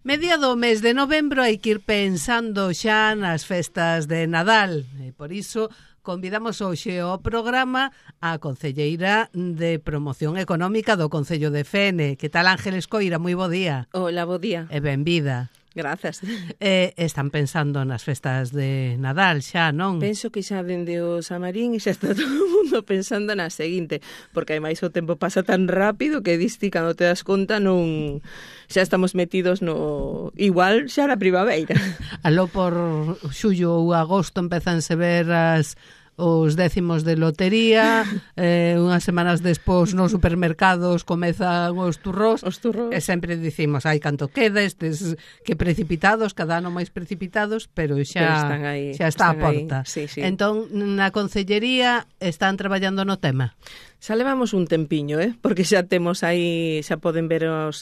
Mediado o mes de novembro hai que ir pensando xa nas festas de Nadal e por iso convidamos hoxe ao programa a concelleira de Promoción Económica do Concello de Fene. Que tal, Ángeles Coira? Moi bo día. Hola, bo día. E benvida. Grazas. Están pensando nas festas de Nadal xa, non? Penso que xa dende o Samarín xa está todo o mundo pensando na seguinte, porque ademais o tempo pasa tan rápido que diste cando te das conta non xa estamos metidos no igual xa na primavera. Aló por xullo ou agosto empezanse ver os décimos de lotería, unhas semanas despois nos supermercados comezan os turrós, e sempre dicimos, ai, canto queda, estes que precipitados, cada ano máis precipitados, pero xa está a porta. Sí, sí. Entón, na concellería están traballando no tema? Xa levamos un tempiño, porque xa temos aí, xa poden ver a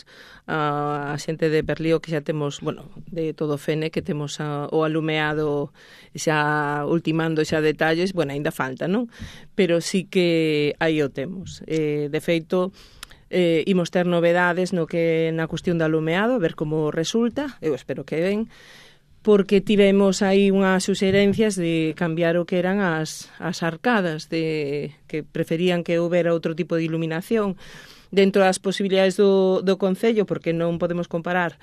xente de Perlío que xa temos, bueno, de todo Fene, que temos o alumeado xa ultimando xa detalles, bueno, ainda falta, non? Pero sí que aí o temos. De feito, imos ter novedades no que na cuestión do alumeado, a ver como resulta, eu espero que ben, porque tivemos aí unhas suxerencias de cambiar o que eran as arcadas, de que preferían que houbera outro tipo de iluminación dentro das posibilidades do Concello, porque non podemos comparar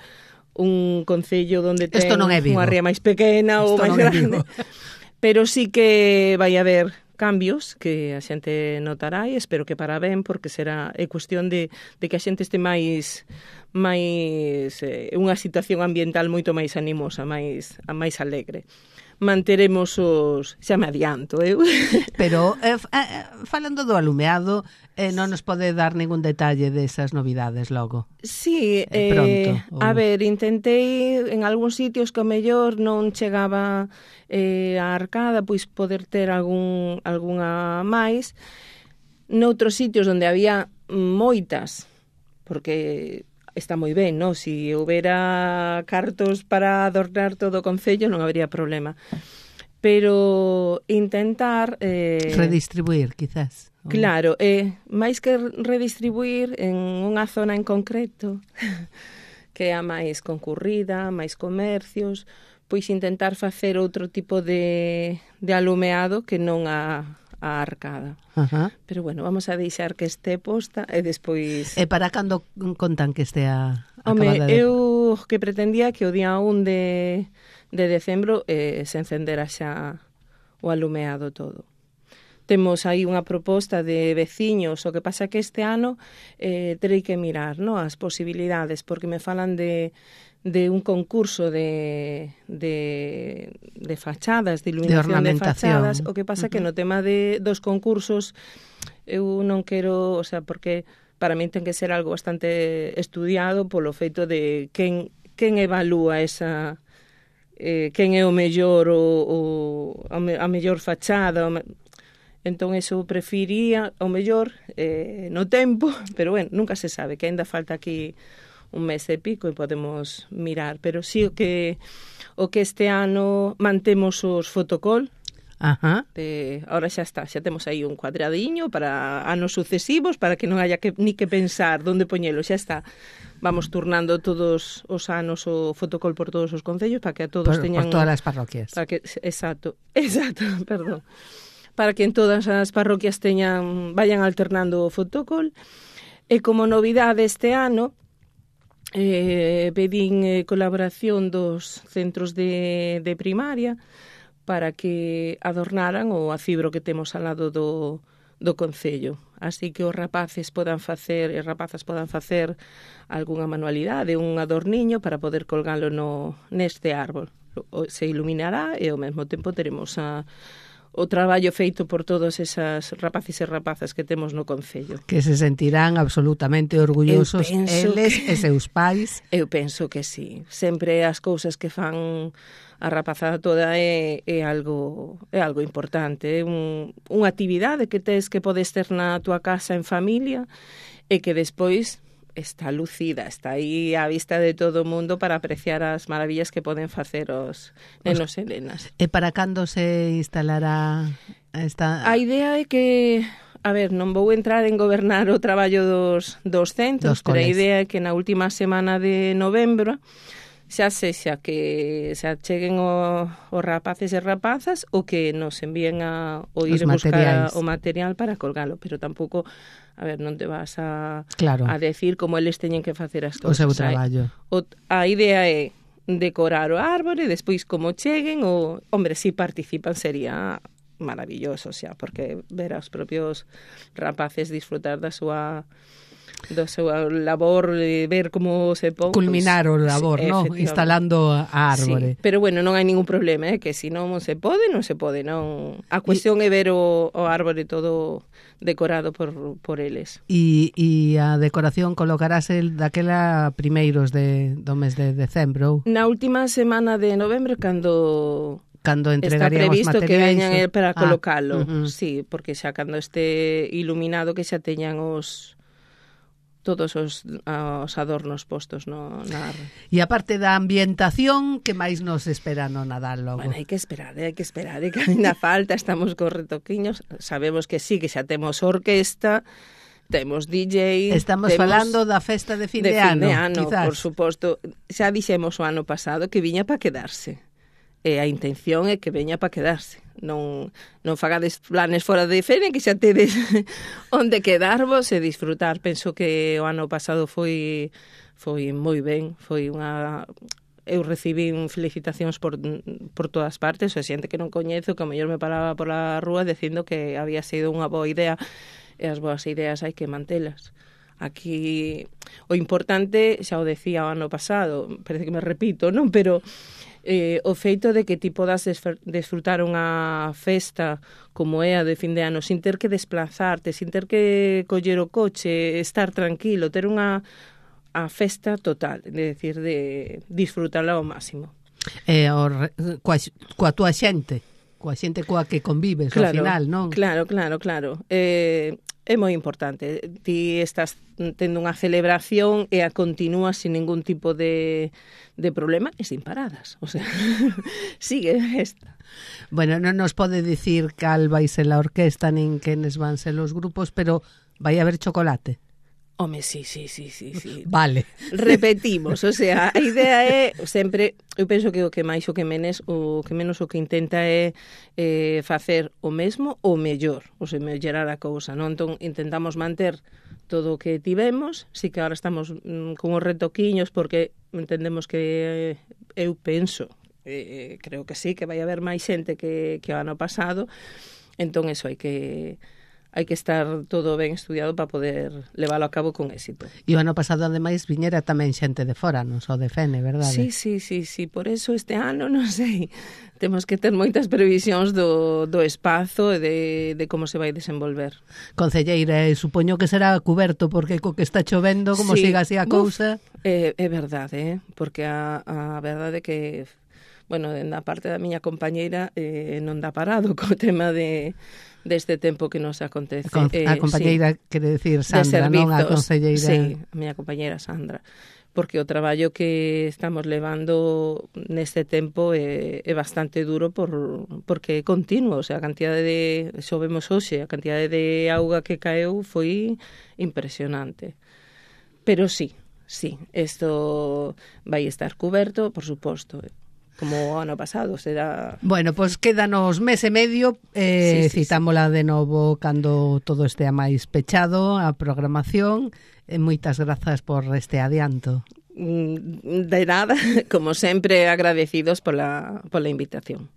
un Concello onde ten unha ría máis pequena ou máis grande, pero sí que vai haber cambios que a xente notará e espero que para ben, porque será cuestión de que a xente este máis unha situación ambiental moito máis animosa, máis alegre. Manteremos xa me adianto, Pero, falando do alumeado, non nos pode dar ningún detalle desas novidades logo? Sí, pronto, a ver, intentei en algúns sitios que o mellor non chegaba a arcada, pois poder ter algunha máis. Noutros sitios onde había moitas, porque está moi ben, non? Si houbera cartos para adornar todo o Concello non habería problema. Pero intentar redistribuir, quizás. Claro, máis que redistribuir en unha zona en concreto que é a máis concurrida, máis comercios, pois intentar facer outro tipo de alumeado que non a arcada. Pero bueno, vamos a deixar que este posta e despois... E para cando contan que estea acabada? Eu que pretendía que o día 1 de decembro se encendera xa o alumeado todo. Temos aí unha proposta de veciños, o que pasa que este ano terei que mirar, no, as posibilidades, porque me falan de un concurso de fachadas, de iluminación de fachadas, o que pasa que no tema dos concursos eu non quero, o sea, porque para mí ten que ser algo bastante estudiado polo feito de quen evalúa esa quen é o mellor a mellor fachada, entón eso prefería o mellor no tempo, pero bueno, nunca se sabe, que ainda falta aquí un mes e pico e podemos mirar, pero sí o que este ano mantemos os fotocall. Ahora xa está, xa temos aí un cuadradiño para anos sucesivos, para que non haya ni que pensar onde poñelo, xa está. Vamos turnando todos os anos o fotocall por todos os concellos para que a todos teñan... Por todas as parroquias. Exacto, perdón. Para que en todas as parroquias vayan alternando o fotocall. E como novidade este ano, pedín colaboración dos centros de primaria para que adornaran o acibro que temos ao lado do Concello. Así que os rapaces podan facer e rapazas podan facer algunha manualidade, un adorniño para poder colgalo neste árbol. Se iluminará e ao mesmo tempo teremos o traballo feito por todos esas rapaces e rapazas que temos no Concello. Que se sentirán absolutamente orgullosos eles e seus pais. Eu penso que sí. Sempre as cousas que fan a rapazada toda é algo importante. É unha actividade que tes que podes ter na tua casa en familia e que despois está lucida, está aí á vista de todo o mundo para apreciar as maravillas que poden facer os nenos e nenas. E para cando se instalará esta... A idea é que, a ver, non vou entrar en gobernar o traballo dos centros, pero a idea é que na última semana de novembro xa sexa que se acheguen os rapaces e rapazas ou que nos envíen o ir a buscar o material para colgalo, pero tampouco, a ver, non te vas a decir como eles teñen que facer as cousas. O seu traballo. A idea é decorar o árbore, despois como cheguen, hombre, si participan sería maravilloso, xa, porque ver aos propios rapaces disfrutar da súa labor, ver como se pon culminar o labor, sí, ¿no? Instalando a árbore. Sí, pero bueno, non hai ningún problema, que se non se pode, non. A cuestión é ver o árbore todo decorado por eles. E a decoración colocarase daquela primeiros do mes de decembro? Na última semana de novembro, cando entregaríamos está previsto materiais, que veñan para colocalo, sí, porque xa cando este iluminado que xa teñan todos os adornos postos na árbore. E a parte da ambientación, que máis nos espera no Nadal logo? Bueno, hai que esperar, que ainda falta, estamos con retoquiños, sabemos que sí, que xa temos orquesta, temos DJ... Estamos falando da festa de fin de ano, quizás. Por suposto, xa dixemos o ano pasado que viña para quedarse. E a intención é que veña para quedarse. Non fagades planes fora de Fene, que xa tedes onde quedarvos e disfrutar. Penso que o ano pasado foi moi ben, foi unha... Eu recibín felicitacións por todas partes, o xente que non coñezo, que a mellor me paraba pola rúa dicindo que había sido unha boa idea, e as boas ideas hai que mantelas. Aquí o importante, xa o decía o ano pasado, parece que me repito, non? Pero o feito de que ti podas desfrutar unha festa como é a de fin de ano sin ter que desplazarte, sin ter que coller o coche, estar tranquilo, ter a festa total, de decir, de disfrutarla ao máximo. Coa túa xente, coa que convives, ao final, non? Claro. É moi importante. Ti estás tendo unha celebración e a continúas sin ningún tipo de problema e sin paradas. O sea, sigue esta. Bueno, non nos pode dicir cal vai ser a orquesta nin quenes van ser os grupos, pero vai haber chocolate. Home, sí. Vale. Repetimos, o sea, a idea é sempre, eu penso que o que menos o que intenta é facer o mesmo ou mellor, ou se mellorar a cousa, non? Entón, intentamos manter todo o que tivemos, si que agora estamos con os retoquiños, porque entendemos que eu penso, creo que sí, que vai haber máis xente que o ano pasado, entón, eso hai que estar todo ben estudiado para poder leválo a cabo con éxito. E o ano pasado, ademais, viñera tamén xente de fora, non só de Fene, verdade? Sí. Por eso este ano, non sei, temos que ter moitas previsións do espazo e de como se vai desenvolver. Concelleira, supoño que será cuberto, porque co que está chovendo, como siga así a cousa... É verdade, porque a verdade é que, bueno, na parte da miña compañeira non dá parado co tema deste tempo que nos acontece. A compañeira, quere decir Sandra, non a concelleira. Sí, a miña compañeira Sandra. Porque o traballo que estamos levando neste tempo é bastante duro porque é continuo. O sea, a cantidade xovemos hoxe, a cantidade de auga que caeu foi impresionante. Pero sí, isto vai estar cuberto, por suposto, como o ano pasado, será... Bueno, pois quédanos mes e medio, citámola de novo cando todo estea máis pechado, a programación, e moitas grazas por este adianto. De nada, como sempre, agradecidos pola invitación.